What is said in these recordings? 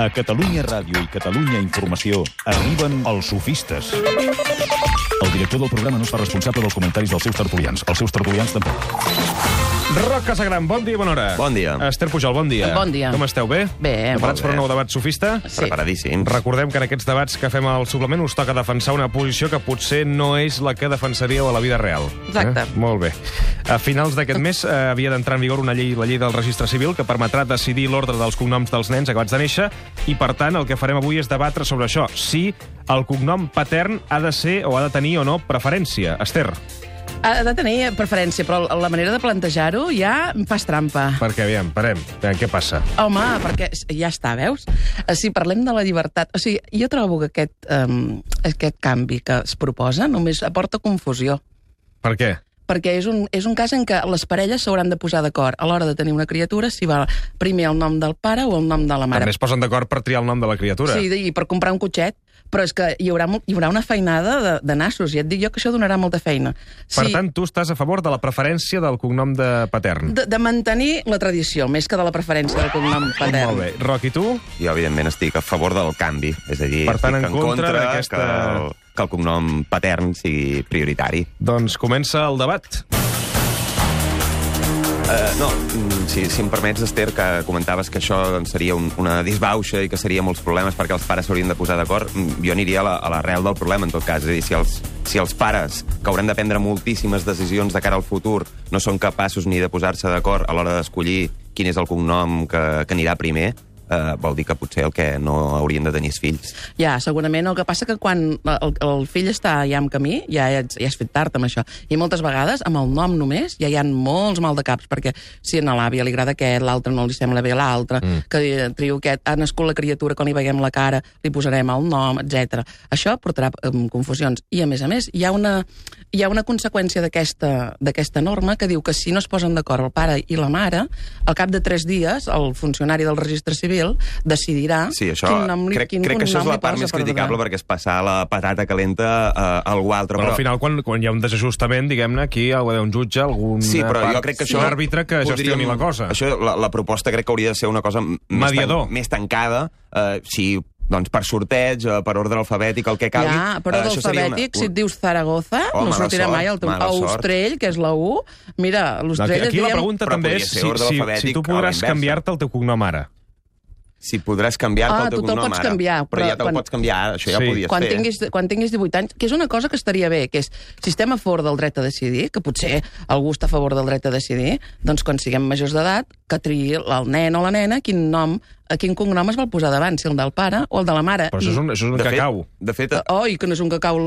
A Catalunya Ràdio i Catalunya Informació arriben els sofistes. El director del programa no es fa responsable dels comentaris dels seus tertulians. Els seus tertulians tampoc. Roc Casagran, bon dia i bona hora. Bon dia. Esther Pujol, bon dia. Bon dia. Com esteu, bé? Bé. Preparats Molt per bé. un nou debat sofista? Sí. Preparadíssims. Recordem que en aquests debats que fem al suplement us toca defensar una posició que potser no és la que defensaríeu a la vida real. Exacte. Molt bé. A finals d'aquest mes havia d'entrar en vigor una llei, la llei del registre civil, que permetrà decidir l'ordre dels cognoms dels nens acabats de néixer, i per tant el que farem avui és debatre sobre això, si el cognom patern ha de ser o ha de tenir o no preferència. Esther, Ha de tenir preferència, però la manera de plantejar-ho ja em fas trampa. perquè aviam, parem. Aviam, què passa? Home, perquè ja està, veus? Si parlem de la llibertat... O sigui, jo trobo que aquest canvi que es proposa només aporta confusió. Per què? Perquè és un cas en què les parelles s'hauran de posar d'acord a l'hora de tenir una criatura si va primer el nom del pare o el nom de la mare. També es posen d'acord per triar el nom de la criatura. Sí, i per comprar un cotxet. Però és que hi haurà una feinada de nassos, i et dic jo que això donarà molta feina. Per tant, tu estàs a favor de la preferència del cognom de patern. De mantenir la tradició, més que de la preferència del cognom patern. Molt bé. Roc, i tu? Jo, evidentment, estic a favor del canvi. És a dir, Per tant, estic en contra d'aquesta- que el cognom patern sigui prioritari. Doncs comença el debat. Si em permets, Esther, que comentaves que això doncs, seria una disbauxa i que seria molts problemes perquè els pares s'haurien de posar d'acord, jo aniria a l'arrel del problema, en tot cas. És a dir, si els pares, que hauran de prendre moltíssimes decisions de cara al futur, no són capaços ni de posar-se d'acord a l'hora d'escollir quin és el cognom que anirà primer, vol dir que potser el que no haurien de tenir és fills. Ja, segurament. El que passa que quan el fill està ja en camí, ja has fet tard amb això. I moltes vegades, amb el nom només, ja hi ha molts maldecaps, perquè si a l'àvia li agrada aquest, l'altre no li sembla bé l'altre, que trio aquest, ha nascut la criatura, quan li veiem la cara, li posarem el nom, etc. Això portarà confusions. I, a més, hi ha una conseqüència d'aquesta norma que diu que si no es posen d'acord el pare i la mare, al cap de 3 dies, el funcionari del registre civil decidirà quin nom li posa. Crec que això és la part més criticable, perquè és passar la patata calenta a algú altre. Però al final, quan hi ha un desajustament, diguem-ne, aquí hi ha un jutge, algun àrbitre que gestioni la cosa. Això, la proposta crec que hauria de ser una cosa més tancada, doncs per sorteig, per ordre alfabètic, el que calgui. Ja, per ordre alfabètic, si et dius Zaragoza, no sortirà mai el teu... Austrell, que és la U, mira, l'Austrell... Aquí la pregunta també és si tu podràs canviar-te el teu cognom ara. Si podràs canviar-te el teu cognom ara. Tu te'l pots canviar. Però ja te'l pots canviar, això ja ho podies fer. Quan tinguis 18 anys, que és una cosa que estaria bé, que és, si estem a favor del dret a decidir, que potser algú està a favor del dret a decidir, doncs quan siguem majors d'edat, que triï el nen o la nena quin cognom es vol posar davant, si el del pare o el de la mare. Però això és un cacau. De fet... I que no és un cacau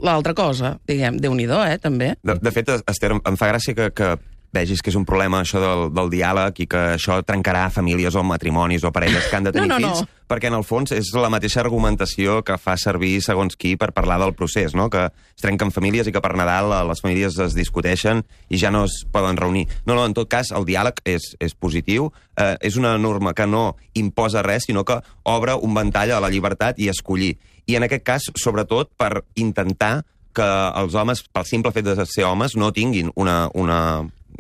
l'altra cosa, diguem, Déu-n'hi-do, també. De fet, Esther, em fa gràcia que vegis que és un problema això del diàleg i que això trencarà famílies o matrimonis o parelles que han de tenir fills, perquè en el fons és la mateixa argumentació que fa servir segons qui per parlar del procés, no? Que es trenquen famílies i que per Nadal les famílies es discuteixen i ja no es poden reunir. No, en tot cas, el diàleg és positiu, és una norma que no imposa res, sinó que obre un ventall a la llibertat i escollir. I en aquest cas, sobretot, per intentar que els homes, pel simple fet de ser homes, no tinguin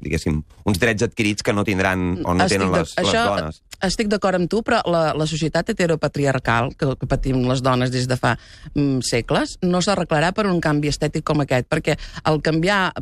diguéssim, uns drets adquirits que no tindran o no tenen les dones. Estic d'acord amb tu, però la societat heteropatriarcal que patim les dones des de fa segles no s'arreglarà per un canvi estètic com aquest, perquè el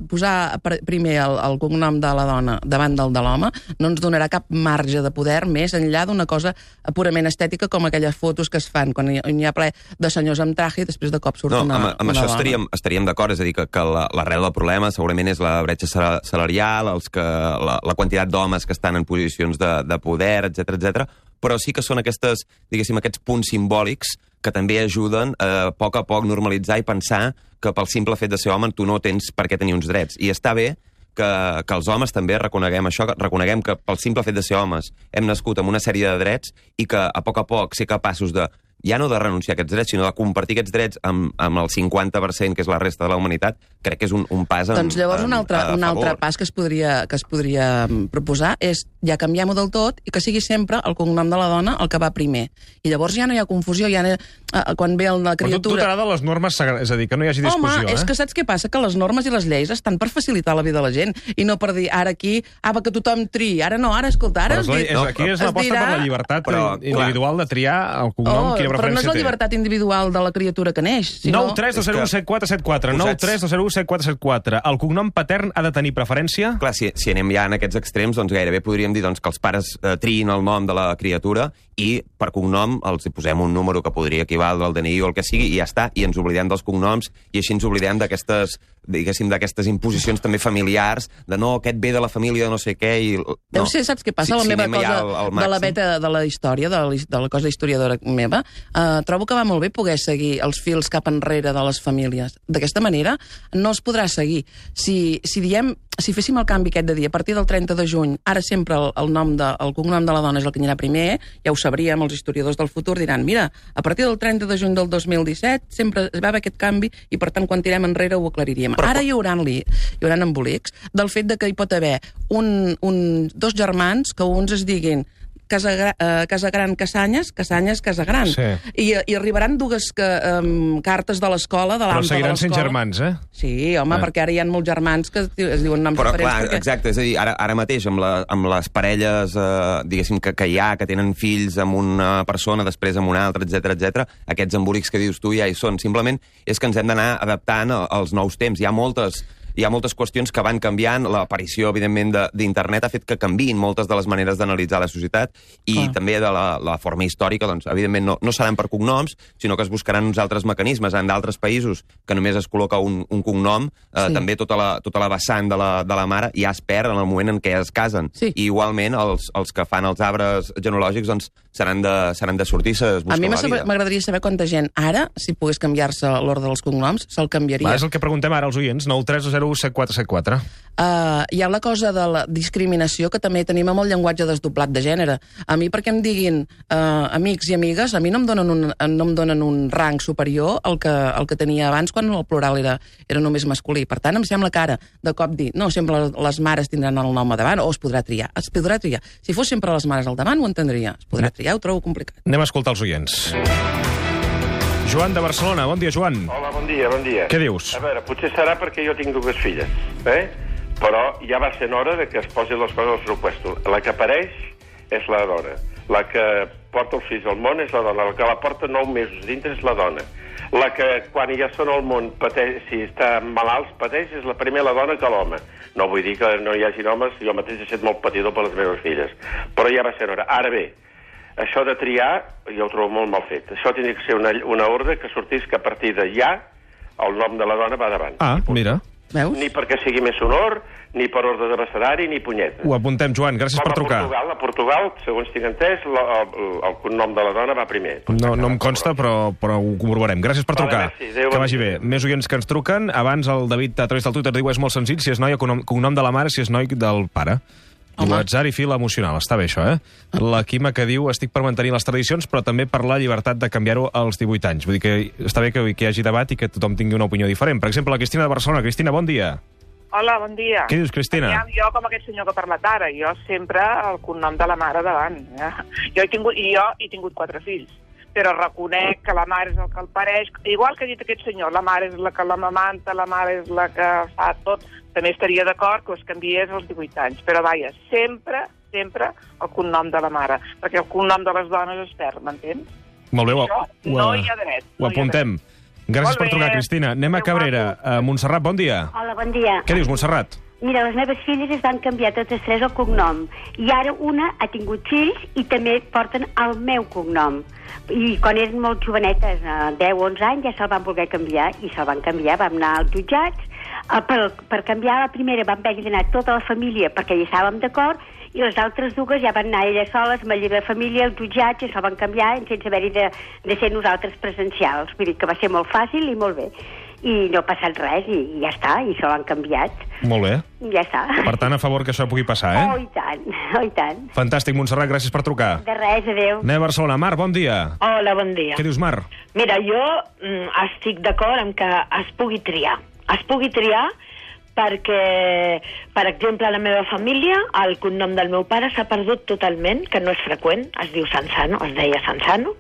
posar primer el cognom de la dona davant del de l'home no ens donarà cap marge de poder més enllà d'una cosa purament estètica com aquelles fotos que es fan quan hi ha ple de senyors amb traje i després de cop surt una dona. Amb això estaríem d'acord, és a dir, que l'arrel del problema segurament és la bretxa salarial, la quantitat d'homes que estan en posicions de poder, etc, però sí que són aquests punts simbòlics que també ajuden a poc normalitzar i pensar que pel simple fet de ser home tu no tens per què tenir uns drets. I està bé que els homes també reconeguem això, reconeguem que pel simple fet de ser homes hem nascut amb una sèrie de drets i que a poc ser capaços de ja no de renunciar a aquests drets, sinó de compartir aquests drets amb el 50%, que és la resta de la humanitat, crec que és un pas Doncs llavors un altre pas que es podria proposar és ja canviar-ho del tot i que sigui sempre el cognom de la dona el que va primer. I llavors ja no hi ha confusió, quan ve la criatura... Però tu t'agrada les normes, és a dir, que no hi hagi discussió, és que saps què passa? Que les normes i les lleis estan per facilitar la vida de la gent i no per dir, ara aquí, que tothom triï, ara no, ara, escolta, ara... Aquí és l'aposta per la llibertat individual de triar el cognom que hi ha però no és la llibertat individual de la criatura que neix, sinó... 932017474, 932017474. El cognom patern ha de tenir preferència? Clar, si anem ja en aquests extrems, doncs gairebé podríem dir que els pares triïn el nom de la criatura i per cognom els hi posem un número que podria equivaldre al DNI o el que sigui i ja està, i ens oblidem dels cognoms i així ens oblidem d'aquestes imposicions també familiars, de no, aquest ve de la família de no sé què i... Deu ser, saps què passa? La meva cosa de la beta de la història, de la cosa historiadora meva, trobo que va molt bé poder seguir els fils cap enrere de les famílies. D'aquesta manera no es podrà seguir. Si féssim el canvi aquest de dir, a partir del 30 de juny, ara sempre el cognom de la dona és el que anirà primer, ja ho sabríem, els historiadors del futur diran, mira, a partir del 30 de juny del 2017 sempre va haver aquest canvi i, per tant, quan tirem enrere ho aclariríem. Ara hi haurà embolics del fet de que hi pot haver dos germans que uns es diguin Casagran, Casanyes, Casagran. Sí. I arribaran dues cartes de l'escola, de l'AMPA de l'escola. Però seguiran sent germans, eh? Sí, home, perquè ara hi ha molts germans que es diuen noms diferents. Però clar, exacte, és a dir, ara mateix amb les parelles, diguéssim, que hi ha, que tenen fills amb una persona, després amb una altra, etc, aquests embolics que dius tu ja hi són. Simplement és que ens hem d'anar adaptant als nous temps. Hi ha moltes qüestions que van canviant, l'aparició, evidentment, d'internet ha fet que canviïn moltes de les maneres d'analitzar la societat i també de la forma històrica, doncs, evidentment, no seran per cognoms, sinó que es buscaran uns altres mecanismes. En d'altres països que només es col·loca un cognom, també tota la vessant de la mare ja es perd en el moment en què es casen. Sí. I igualment, els que fan els arbres genealògics, doncs, seran de sortir-se, es busca la vida. A mi m'agradaria saber quanta gent ara, si pogués canviar-se l'ordre dels cognoms, se'l canviaria. És el que preguntem ara als oients, 9307474. Hi ha la cosa de la discriminació que també tenim amb el llenguatge desdoblat de gènere. A mi, perquè em diguin amics i amigues, a mi no em donen un rang superior al que tenia abans quan el plural era només masculí. Per tant, em sembla que ara, de cop dir, no, sempre les mares tindran el nom a davant, o es podrà triar. Si fos sempre les mares al davant, ho entendria. Es podrà triar, ho trobo complicat. Anem a escoltar els oients. Joan de Barcelona, bon dia, Joan. Hola, bon dia. Què dius? A veure, potser serà perquè jo tinc dues filles, però ja va ser hora de que es posin les coses al seu puesto. La que apareix és la dona. La que porta els fills al món és la dona. La que la porta 9 mesos dintre és la dona. La que, quan ja són al món, pateix, si està malalts, pateix, és primer la dona que l'home. No vull dir que no hi hagi homes, jo mateix he estat molt patidor per les meves filles. Però ja va ser hora. Ara bé, això de triar, jo ho trobo molt mal fet. Això tindria que ser una ordre que sortís que a partir de ja el nom de la dona va davant. Mira. Veus? Ni perquè sigui més honor, ni per ordre d'abecedari, ni punyeta. Ho apuntem, Joan, gràcies per trucar. A Portugal, segons tinc entès, el nom de la dona va primer. No em consta, però ho corroborem. Gràcies per trucar. Que vagi bé. Més oients que ens truquen. Abans el David, a través del Twitter, diu és molt senzill, si és noia, cognom de la mare, si és noi, del pare. L'atzar i fil emocional, està bé això, La Quima que diu, estic per mantenir les tradicions, però també per la llibertat de canviar-ho als 18 anys. Vull dir que està bé que hi hagi debat i que tothom tingui una opinió diferent. Per exemple, la Cristina de Barcelona. Cristina, bon dia. Hola, bon dia. Què dius, Cristina? Jo, com aquest senyor que ha parlat ara, jo sempre el cognom de la mare davant. Jo he tingut 4 fills, però reconec que la mare és el que el pareix. Igual que ha dit aquest senyor, la mare és la que l'amamanta, la mare és la que fa tot. També estaria d'acord que es canviés als 18 anys. Però, vaja, sempre el cognom de la mare, perquè el cognom de les dones es perd, m'entens? Molt bé, no hi ha dret. Ho apuntem. Gràcies per trucar, Cristina. Anem a Cabrera. Montserrat, bon dia. Hola, bon dia. Què dius, Montserrat? Mira, les meves filles es van canviar totes 3 el cognom. I ara una ha tingut fills i també porten el meu cognom. I quan eren molt jovenetes, 10 o 11 anys, ja se'l van voler canviar i se'l van canviar. Vam anar als jutjats. Per canviar la primera vam haver d'anar tota la família perquè hi estàvem d'acord i les altres dues ja van anar elles soles amb la llei de família, els jutjats, i se'l van canviar sense haver-hi de ser nosaltres presencials. Vull dir que va ser molt fàcil i molt bé. i no ha passat res, i ja està, i se l'han canviat. Molt bé. Ja està. Per tant, a favor que això pugui passar, Oh, i tant, oh, i tant. Fantàstic, Montserrat, gràcies per trucar. De res, adéu. Anem a Barcelona. Mar, bon dia. Hola, bon dia. Què dius, Mar? Mira, jo estic d'acord amb que es pugui triar. Es pugui triar perquè, per exemple, a la meva família, el cognom del meu pare s'ha perdut totalment, que no és freqüent, es diu Sanzano, es deia Sanzano,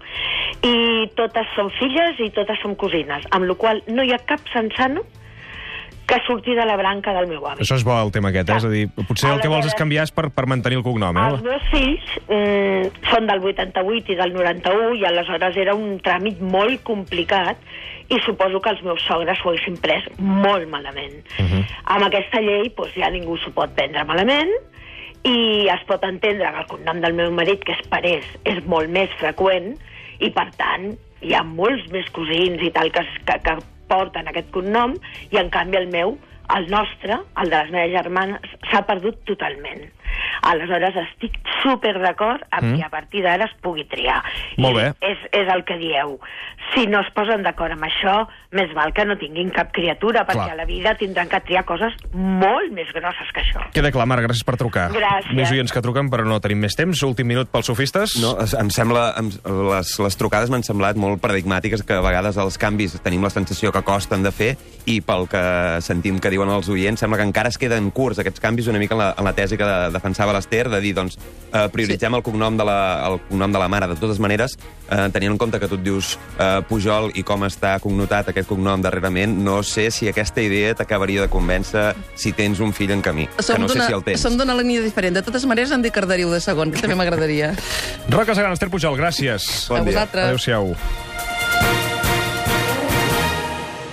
i totes són filles i totes són cosines, amb la qual cosa no hi ha cap Sanzano que surti de la branca del meu avi. Això és bo, el tema aquest, És a dir, potser el que vols és canviar és per mantenir el cognom, Els meus fills són del 88 i del 91 i aleshores era un tràmit molt complicat i suposo que els meus sogres ho haguessin pres molt malament. Amb aquesta llei doncs, ja ningú s'ho pot prendre malament i es pot entendre que el cognom del meu marit, que és Parés, és molt més freqüent i per tant hi ha molts més cosins i tal que porten aquest cognom i en canvi el meu, el nostre, el de les meves germanes, s'ha perdut totalment. Aleshores estic super d'acord amb que a partir d'ara es pugui triar. Molt bé. És el que dieu. Si no es posen d'acord amb això, més val que no tinguin cap criatura, perquè a la vida tindran que triar coses molt més grosses que això. Queda clar, Marc, gràcies per trucar. Gràcies. Més oients que truquen, però no tenim més temps. Últim minut pels sofistes. No, em sembla... Les trucades m'han semblat molt paradigmàtiques, que a vegades els canvis tenim la sensació que costen de fer i pel que sentim que diuen els oients, sembla que encara es queden curts aquests canvis una mica en la tesi que defensava l'Ester, de dir, doncs, prioritzem el cognom de la mare. De totes maneres, tenint en compte que tu et dius Pujol i com està cognotat aquest cognom darrerament, no sé si aquesta idea t'acabaria de convèncer si tens un fill en camí, que no sé si el tens. Som d'una línia diferent. De totes maneres, em dic Carderiu de segon, que també m'agradaria. Roca Sagrana, Ester Pujol, gràcies. A vosaltres. Adéu-siau.